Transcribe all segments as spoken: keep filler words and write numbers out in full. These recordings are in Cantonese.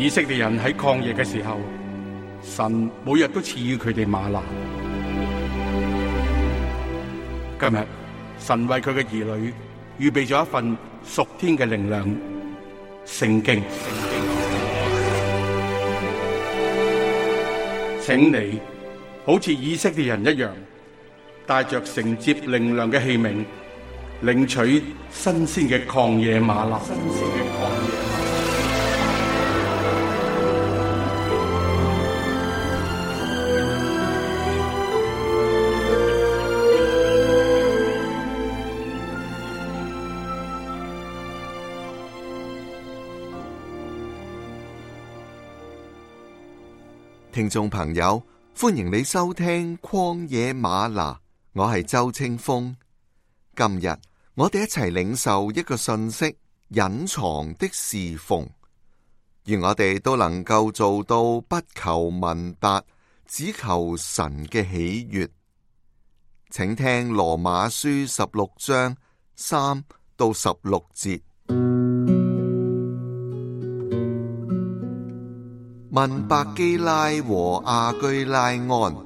以色列人喺曠野嘅時候，神每日都賜予佢哋嗎哪。今日神為佢嘅兒女預備咗一份屬天嘅靈糧——聖經。請你好似以色列人一樣，帶着承接靈糧嘅器皿，領取新鮮嘅曠野嗎哪。新鮮嘅曠野嗎哪。聽眾朋友，歡迎你收聽曠野嗎哪，我係周清風。今日我哋一齊領受一個信息：隱藏的侍奉。願我哋都能夠做到不求聞達，只求神嘅喜悅。請聽羅馬書十六章三到十六節。問百基拉和亞居拉安，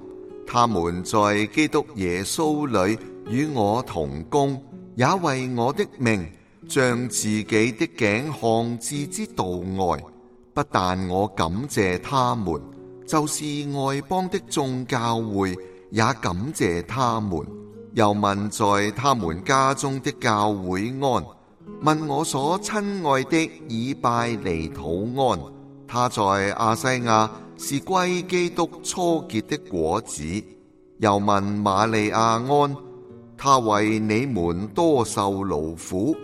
他們在基督耶穌裏與我同工，也為我的命將自己的頸項置之度外。不但我感謝他們，就是外邦的眾教會也感謝他們。又問在他們家中的教會安，問我所親愛的以拜尼土安。他在亞西亞是歸基督初結的果子。又問瑪利亞安，他為你們多受勞苦。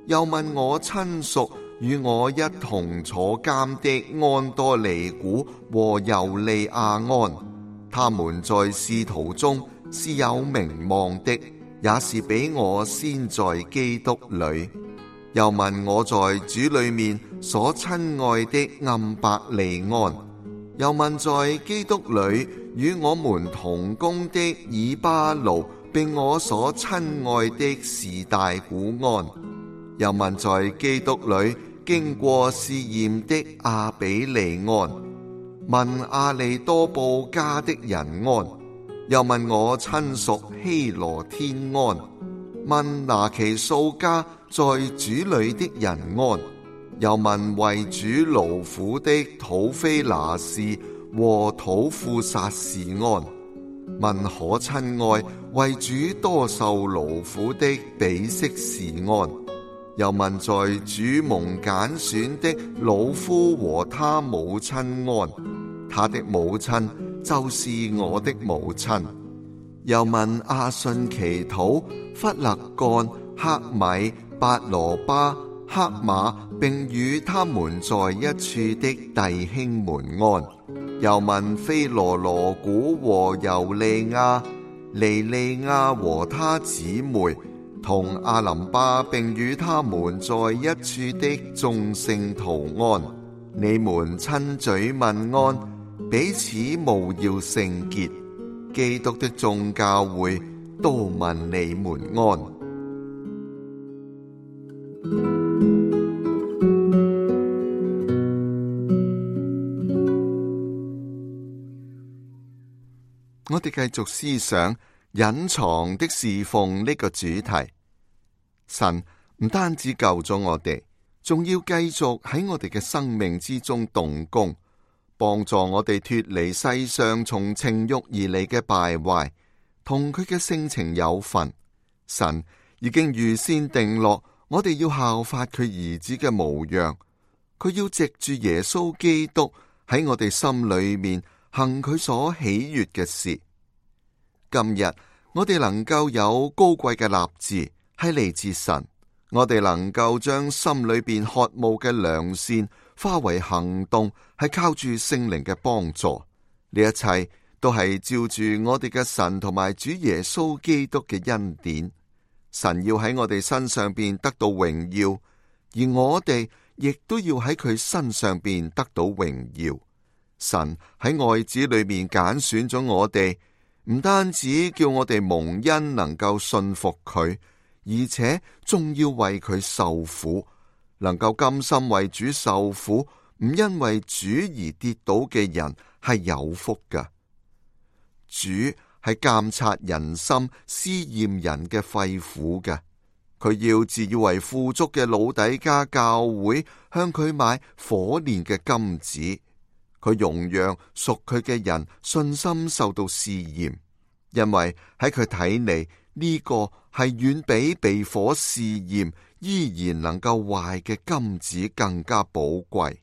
又問我親屬與我一同坐監的安多尼古和猶利亞安，他們在使徒中是有名望的，也是比我先在基督裏。又問我在主裏面所親愛的暗伯利安，又問在基督裏與我們同工的以巴路，並我所親愛的士大古安，又問在基督裏經過試驗的阿比利安，問阿利多布家的人安，又問我親屬希羅天安，問拿其數家在主裏的人安，又問為主勞苦的土非拿士和土庫撒士安，問可親愛為主多受勞苦的比色士安，又問在主蒙揀選的魯孚和他母親安，他的母親就是我的母親。又問阿信祈禱、弗勒干、赫米、八羅巴、赫馬，並與他們在一處的弟兄們安。又問菲羅羅古和猶利亞、尼利亞和他姊妹，同阿林巴，並與他們在一處的眾聖徒安。你們親嘴問安，彼此務要聖潔。基督的眾教會都問你們安。我哋繼續思想隱藏的侍奉呢個主題。神唔單止救咗我哋，仲要繼續喺我哋嘅生命之中動工，幫助我哋脫離世上從情欲而嚟嘅敗壞，同佢嘅性情有份。神已經預先定落，我哋要效法佢兒子嘅模樣。佢要藉住耶穌基督喺我哋心裏面行佢所喜悅嘅事。今日我哋能夠有高貴嘅立志，係嚟自神。我哋能夠將心裏邊渴慕嘅良善化為行動，係靠住聖靈嘅幫助。呢一切都係照住我哋嘅神同埋主耶穌基督嘅恩典。神要喺我哋身上邊得到榮耀，而我哋亦都要喺佢身上邊得到榮耀。神喺愛子裏面揀選咗我哋，唔單止叫我哋蒙恩能夠信服佢，而且仲要為佢受苦，能夠甘心為主受苦，唔因為主而跌倒嘅人係有福㗎。主係監察人心、試驗人嘅肺腑嘅。佢要自以為富足嘅老底嘉教會向佢買火煉嘅金子。佢容讓屬佢嘅人信心受到試驗，因為喺佢睇嚟，呢個係遠比被火試驗依然能夠壞嘅金子更加寶貴。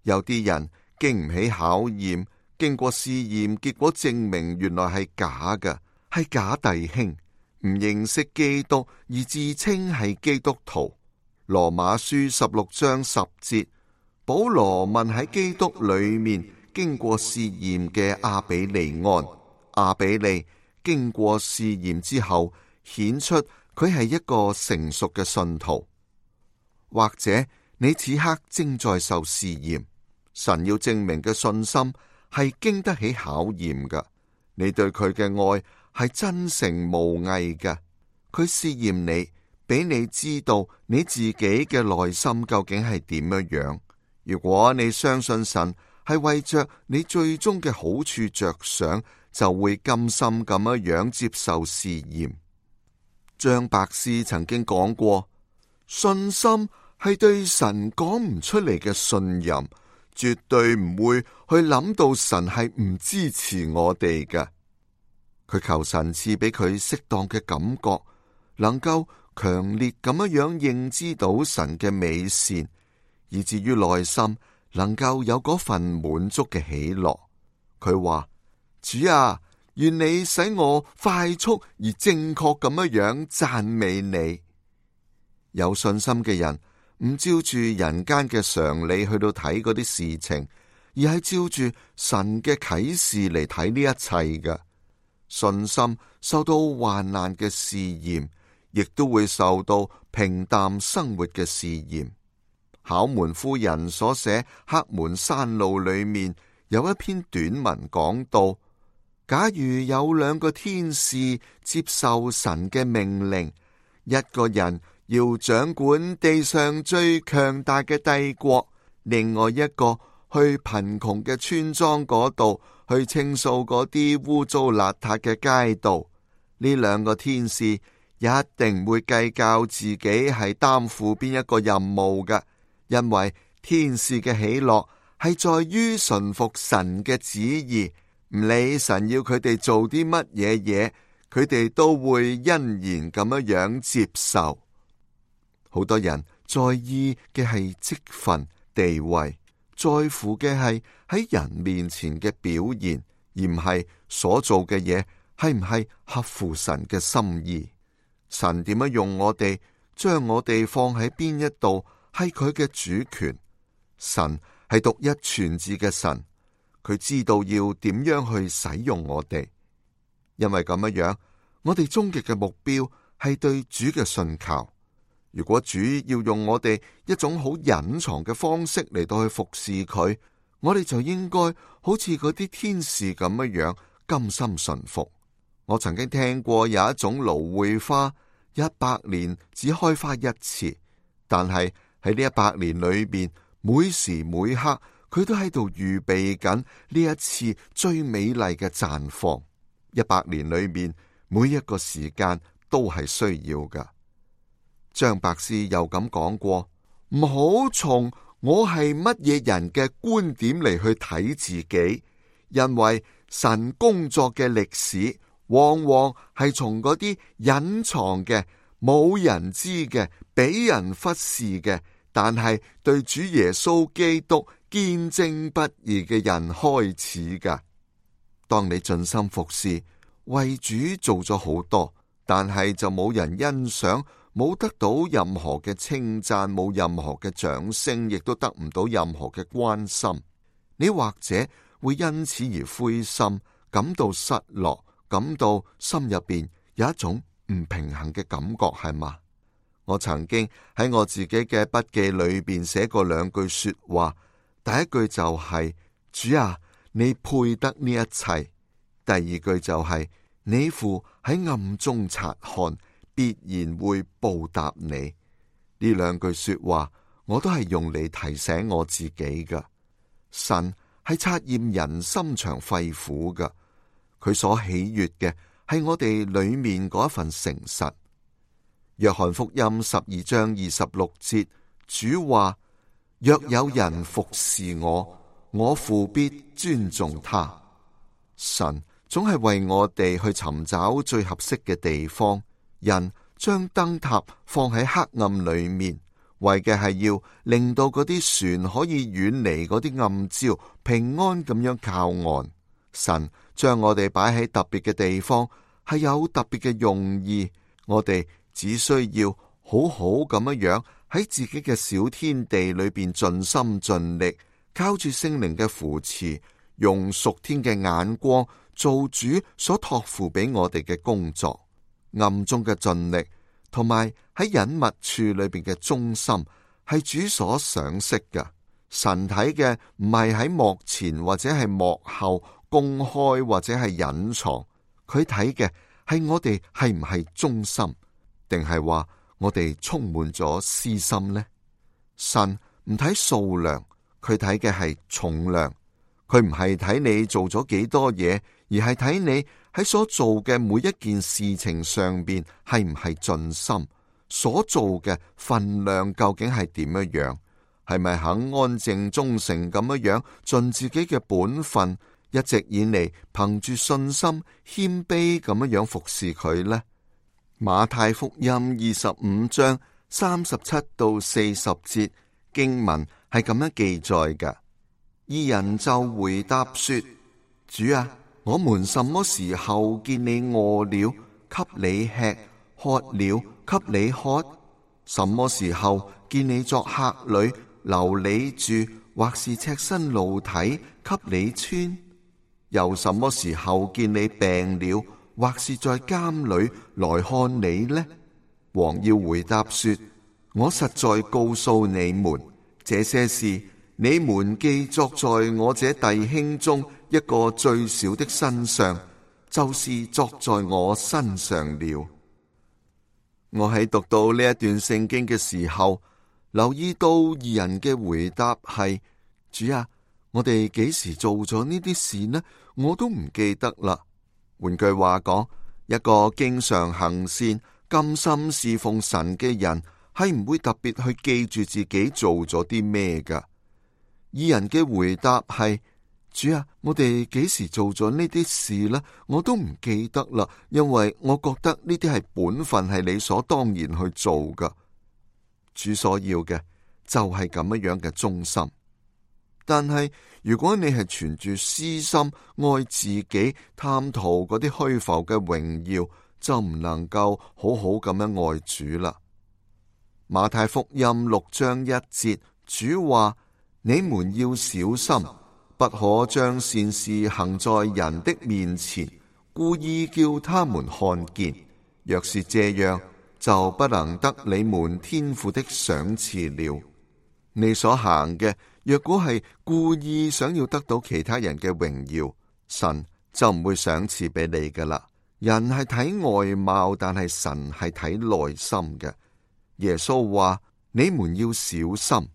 有啲人經唔起考驗，經過試驗，結果證明原來係假嘅，係假弟兄，唔認識基督而自稱係基督徒。羅馬書十六章十節，保羅問喺基督裏面經過試驗嘅阿比利安，阿比利經過試驗之後顯出佢係一個成熟嘅信徒。或者你此刻正在受試驗，神要證明嘅信心係經得起考驗嘅。你對佢嘅愛係真誠無偽嘅，佢試驗你，俾你知道你自己嘅內心究竟係點樣樣。如果你相信神係為着你最終嘅好處着想，就會甘心咁樣樣接受試驗。張伯斯曾經講過，信心係對神講唔出嚟嘅信任，絕對唔會去諗到神係唔支持我哋嘅。佢求神賜俾佢適當嘅感覺，能夠強烈咁樣樣認知到神嘅美善，以至於內心能夠有嗰份滿足嘅喜樂。佢話：主啊，願你使我快速而正確咁樣樣讚美你。有信心嘅人唔照住人間嘅常理去到睇嗰啲事情，而係照住神嘅啟示嚟睇呢一切嘅。信心受到患難嘅試驗，亦都會受到平淡生活嘅試驗。考門夫人所寫《黑門山路》裏面有一篇短文講到，假如有兩個天使接受神嘅命令，一個人要掌管地上最強大嘅帝國，另外一個去貧窮嘅村莊嗰度去清掃嗰啲污糟邋遢嘅街道，呢兩個天使一定唔會計較自己係擔負邊一個任務嘅，因為天使嘅喜樂係在於順服神嘅旨意，唔理神要佢哋做啲乜嘢嘢，佢哋都會欣然咁樣樣接受。好多人在意嘅係職分地位，在乎嘅係喺人面前嘅表現，而唔係所做嘅嘢係唔係合乎神嘅心意。神點樣用我哋，將我哋放喺邊一度，係佢嘅主權。神係獨一全智嘅神，佢知道要點樣去使用我哋。因為咁樣樣，我哋終極嘅目標係對主嘅信靠。如果主要用我哋一種好隱藏嘅方式嚟到去服侍佢，我哋就應該好似嗰啲天使咁樣樣甘心順服。我曾經聽過有一種蘆薈花，一百年只開花一次，但係喺呢一百年裏邊，每時每刻佢都喺度預備緊呢一次最美麗嘅綻放。一百年裏面每一個時間都係需要噶。張伯斯又咁講過，唔好從我係乜嘢人嘅觀點嚟去睇自己，因為神工作嘅歷史往往係從嗰啲隱藏嘅、冇人知嘅、俾人忽視嘅，但係對主耶穌基督堅貞不移嘅人開始噶。當你盡心服侍，為主做咗好多，但係就冇人欣賞，冇得到任何嘅稱讚，冇任何嘅掌聲，亦都得唔到任何嘅關心。你或者會因此而灰心，感到失落，感到心入邊有一種唔平衡嘅感覺，係嘛？我曾經喺我自己嘅筆記裏邊寫過兩句說話，第一句就係、是、主啊，你配得呢一切。第二句就係、是、你父喺暗中察看，必然會報答你。呢兩句說話我都係用嚟提醒我自己噶。神係察驗人心腸肺腑㗎，佢所喜悅嘅係我哋裏面嗰一份誠實。約翰福音十二章二十六節，主話：若有人服侍我，我父必尊重他。神總係為我哋去尋找最合適嘅地方。人將燈塔放喺黑暗裏面，為嘅係要令到嗰啲船可以遠離嗰啲暗礁，平安咁樣靠岸。神將我哋擺喺特別嘅地方，係有特別嘅用意。我哋只需要好好咁樣樣喺自己嘅小天地裏邊盡心盡力，靠住聖靈嘅扶持，用屬天嘅眼光做主所託付俾我哋嘅工作。暗中嘅盡力，同埋喺隱密處裏邊嘅忠心，係主所賞識嘅。神睇嘅唔係喺幕前或者係幕後公開或者係隱藏，佢睇嘅係我哋係唔係忠心，定係話我哋充滿咗私心呢？神唔睇數量，佢睇嘅係重量。佢唔係睇你做咗幾多嘢，而係睇你喺所做嘅每一件事情上邊係唔係盡心，所做嘅分量究竟係點樣樣，係咪肯安靜忠誠咁樣樣盡自己嘅本分，一直以嚟憑住信心謙卑咁樣樣服侍佢呢？馬太福音二十五章三十七到四十節經文係咁樣記載㗎。義人就回答說：主啊，我們什麼時候見你餓了，給你吃；渴了，給你喝？什麼時候見你作客旅，留你住，或是赤身露體，給你穿？又什麼時候見你病了，或是在監裏來看你呢？王要回答說：我實在告訴你們，這些事你們既作在我這弟兄中一個最小的身上，就是作在我身上了。我喺讀到呢一段聖經嘅時候，留意到義人嘅回答係：主啊，我哋幾時做咗呢啲事呢？我都唔記得啦。換句話講，一個經常行善、甘心侍奉神嘅人，係唔會特別去記住自己做咗啲咩噶。義人嘅回答係：主啊，我哋幾時做咗呢啲事呢？我都唔記得啦，因為我覺得呢啲係本分，係理所當然去做噶。主所要嘅就係咁樣樣嘅忠心。但係如果你係存住私心，愛自己，貪圖嗰啲虛浮嘅榮耀，就唔能夠好好咁樣愛主啦。馬太福音六章一節，主話：你們要小心，不可將善事行在人的面前，故意叫他們看見。若是這樣，就不能得你們天父的賞賜了。你所行嘅，若果係故意想要得到其他人嘅榮耀，神就唔會賞賜俾你噶啦。人係睇外貌，但係神係睇內心嘅。耶穌話：你們要小心。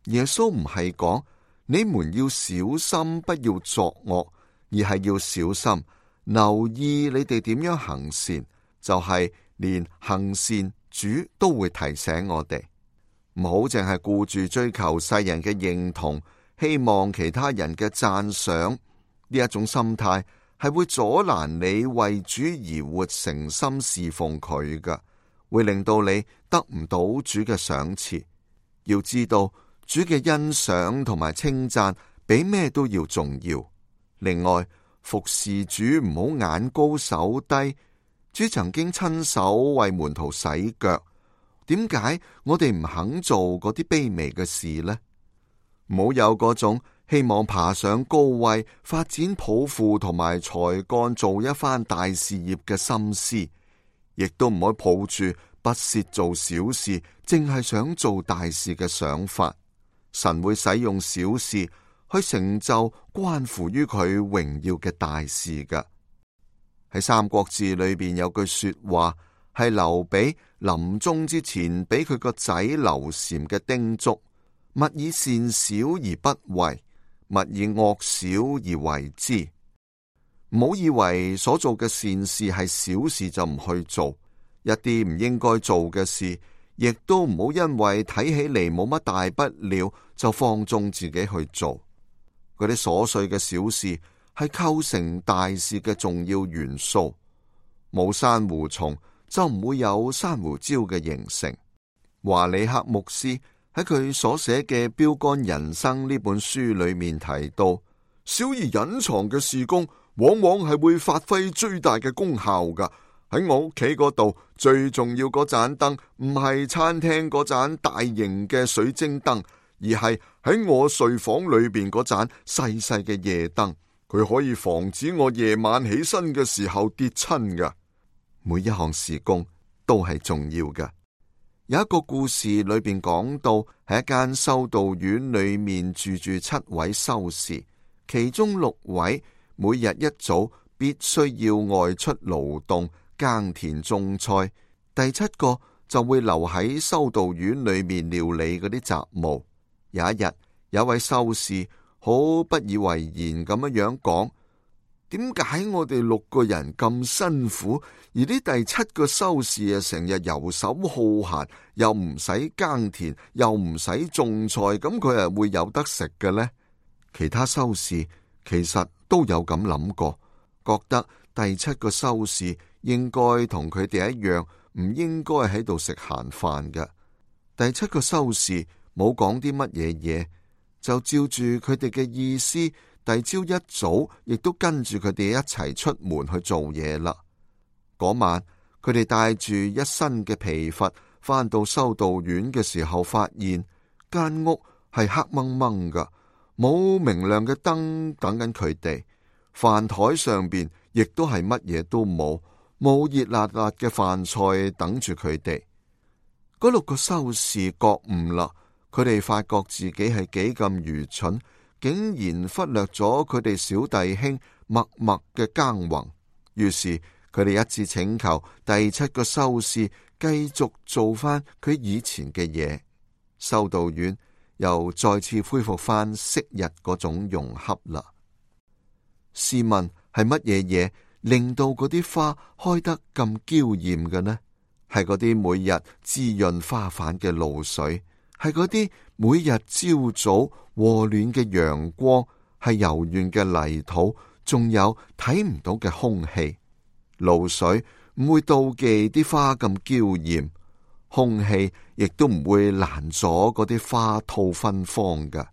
耶穌唔係講你們要小心，不要作惡，而係要小心留意你哋點樣行善。就係連行善，主都會提醒我哋。唔好淨係顧住追求世人嘅認同，希望其他人嘅讚賞，呢一種心態係會阻攔你為主而活，誠心侍奉佢㗎，會令到你得唔到主嘅賞賜。要知道，主嘅欣賞同埋稱讚比咩都要重要。另外，服侍主唔好眼高手低。主曾經親手為門徒洗腳。點解我哋唔肯做嗰啲卑微嘅事呢？唔好有嗰種希望爬上高位、發展抱負同埋才幹，做一番大事業嘅心思，亦都唔可以抱住不屑做小事，淨係想做大事嘅想法。神會使用小事去成就關乎於佢榮耀嘅大事噶。喺《三國志》裏邊有句說話，係劉備臨終之前俾佢個仔劉禪嘅叮囑：勿以善小而不為，勿以惡小而為之。唔好以為所做嘅善事係小事就唔去做，一啲唔應該做嘅事，亦都唔好因為睇起嚟冇乜大不了就放縱自己去做。嗰啲瑣碎嘅小事係構成大事嘅重要元素。冇珊瑚蟲就唔會有珊瑚礁嘅形成。華里克牧師喺佢所寫嘅《標杆人生》呢本書裏面提到，小而隱藏嘅事工往往係會發揮最大嘅功效噶。喺我屋企嗰度，最重要嗰盞燈唔係餐廳嗰盞大型嘅水晶燈，而係喺我睡房裏邊嗰盞細細嘅夜燈。佢可以防止我夜晚起身嘅時候跌親噶。每一項事工都係重要噶。有一個故事裏邊講到，喺一間修道院裏面住住七位修士，其中六位每日一早必須要外出勞動耕田種菜，第七個就會留喺修道院裏面料理嗰啲雜務。有一日，有一位修士好不以為然咁樣樣講：點解我哋六個人咁辛苦，而呢第七個修士啊成日游手好閒，又唔使耕田，又唔使種菜，咁佢係會有得食嘅呢？其他修士其實都有咁諗過，覺得第七個修士應該同佢哋一樣，唔應該喺度食閒飯嘅。第七個修士冇講啲乜嘢嘢，就照住佢哋嘅意思，第朝一早亦都跟住佢哋一齊出門去做嘢啦。嗰晚佢哋帶住一身嘅疲乏返到修道院嘅時候，發現間屋係黑掹掹噶，冇明亮嘅燈等緊佢哋，飯台上邊亦都係乜嘢都冇，冇熱辣辣嘅飯菜等住佢哋。嗰六個修士覺悟啦，佢哋發覺自己係幾咁愚蠢，竟然忽略咗佢哋小弟兄默默嘅耕耘。於是佢哋一致請求第七個修士繼續做翻佢以前嘅嘢，修道院又再次恢復翻昔日嗰種融洽啦。試問係乜嘢嘢令到嗰啲花開得咁嬌艷嘅呢？係嗰啲每日滋潤花瓣嘅露水，係嗰啲每日朝早和暖嘅陽光，係柔軟嘅泥土，仲有睇唔到嘅空氣。露水唔會妒忌啲花咁嬌艷，空氣亦都唔會攔阻嗰啲花吐芬芳㗎。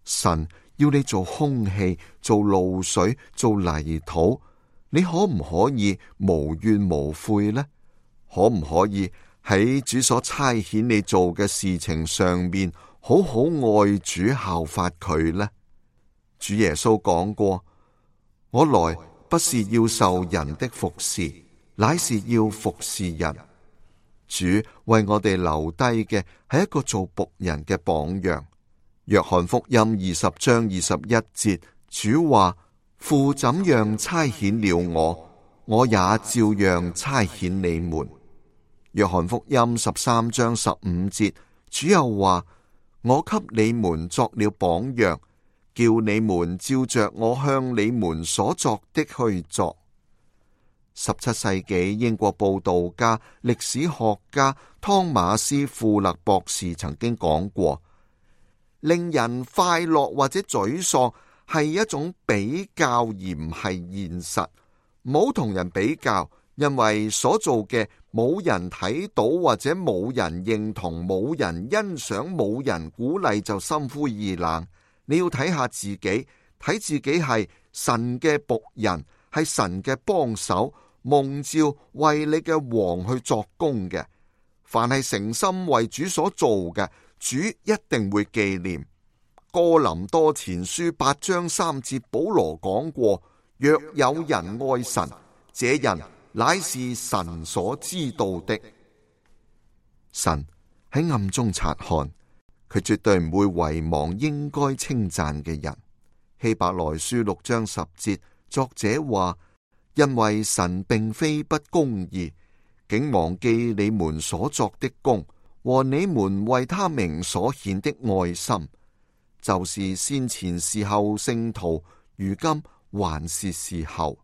神要你做空氣，做露水，做泥土，你可唔可以無怨無悔呢？可唔可以喺主所差遣你做嘅事情上面，好好愛主效法佢呢？主耶穌講過：我來不是要受人的服侍，乃是要服侍人。主為我哋留低嘅係一個做僕人嘅榜樣。約翰福音二十章二十一節，主話：父怎樣差遣了我，我也照樣差遣你們。約翰福音十三章十五節，主又話：我給你們作了榜樣，叫你們照着我向你們所作的去做。十七世紀英國報道家、歷史學家湯馬斯·富勒博士曾經講過：令人快樂或者沮喪係一種比較，而唔係現實。唔好同人比較，因為所做嘅冇人睇到，或者冇人認同，冇人欣賞，冇人鼓勵，就心灰意冷。你要睇下自己，睇自己係神嘅僕人，係神嘅幫手，蒙召為你嘅王去作工嘅。凡係誠心為主所做嘅，主一定會紀念。哥林多前書八章三節，保羅講過：若有人愛神，這人乃是神所知道的。神喺暗中察看，佢絕對唔會遺忘應該稱讚嘅人。希伯來書六章十節，作者話：因為神並非不公義，竟忘記你們所作的工和你們為他名所顯的愛心，就是先前時候聖徒，如今還是時候。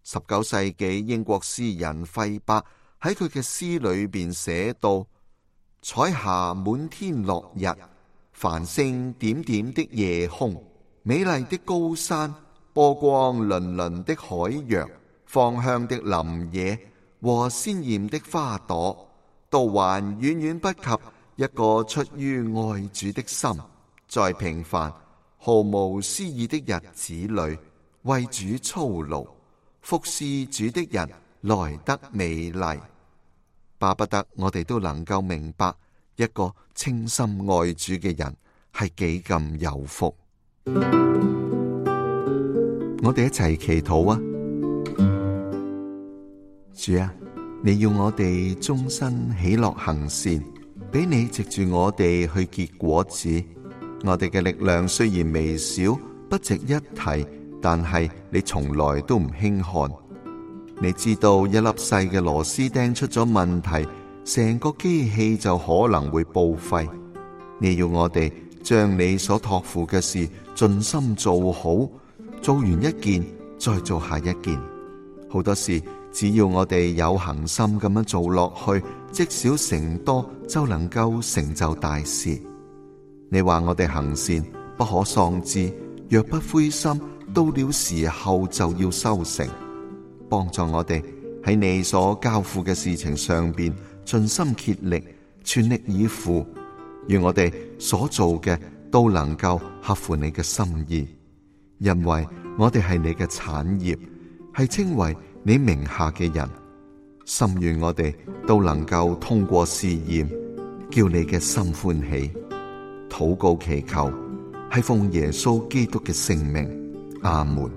十九世紀英國詩人費伯喺佢嘅詩裏邊寫到：彩霞滿天落日，繁星點點的夜空，美麗的高山，波光粼粼的海洋，芳香的林野和鮮艷的花朵，都還遠遠不及一個出於愛主的心，在平凡毫無詩意的日子裏為主操勞服侍主的人來得美麗。巴不得我哋都能夠明白一個清心愛主嘅人係幾咁有福。我哋一齊祈禱啊！主啊，你要我哋終身喜樂行善，俾你藉住我哋去結果子。我哋嘅力量雖然微小，不值一提，但係你從來都唔輕看。你知道一粒細嘅螺絲釘出咗問題，成個機器就可能會報廢。你要我哋將你所託付嘅事盡心做好，做完一件再做下一件。好多事只要我哋有恆心咁樣做落去，積少成多就能夠成就大事。你話我哋行善不可喪志，若不灰心，到了時候就要收成。幫助我哋喺你所交付嘅事情上邊盡心竭力，全力以赴，願我哋所做嘅都能夠合乎你嘅心意，因為我哋係你嘅產業，係稱為你名下嘅人。心願我哋都能夠通過試驗，叫你嘅心歡喜。禱告祈求係奉耶穌基督嘅聖名，阿門。